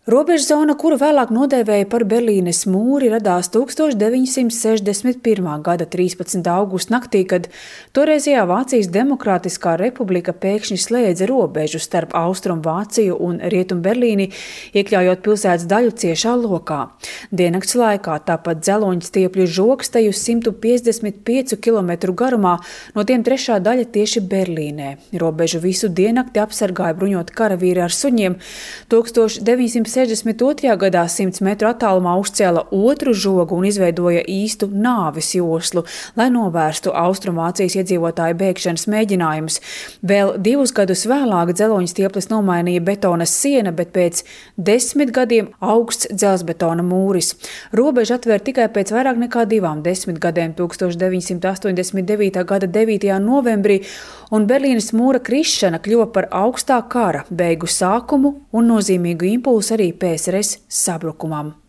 Robežzona, kuru vēlāk nodēvēja par Berlīnes mūri, radās 1961. gada 13. augusta naktī, kad toreizējā Vācijas Demokrātiskā republika pēkšņi slēdza robežu starp Austrumu Vāciju un Rietumu Berlīni, iekļaujot pilsētas daļu ciešā lokā. Diennakts laikā tāpat dzeloņstiepļu žoksteju 155 km garumā, no tiem trešā daļa tieši Berlīnē. Robežu visu diennakti apsargāja bruņoti karavīri ar suņiem. 1962. gadā 100 metru attālumā uzcēla otru žogu un izveidoja īstu nāves joslu, lai novērstu Austrumvācijas iedzīvotāju bēgšanas mēģinājumus. Vēl 2 gadus vēlāk dzeloņstieples nomainīja betona siena, bet pēc 10 gadiem augsts dzelzbetona mūris. Robeža atvēr tikai pēc vairāk nekā 2 gadiem 1989. gada 9. novembrī, un Berlīnes mūra krišana kļuva par augstā kara beigu sākumu un nozīmīgu impulsu arī PSRS sabrukumam.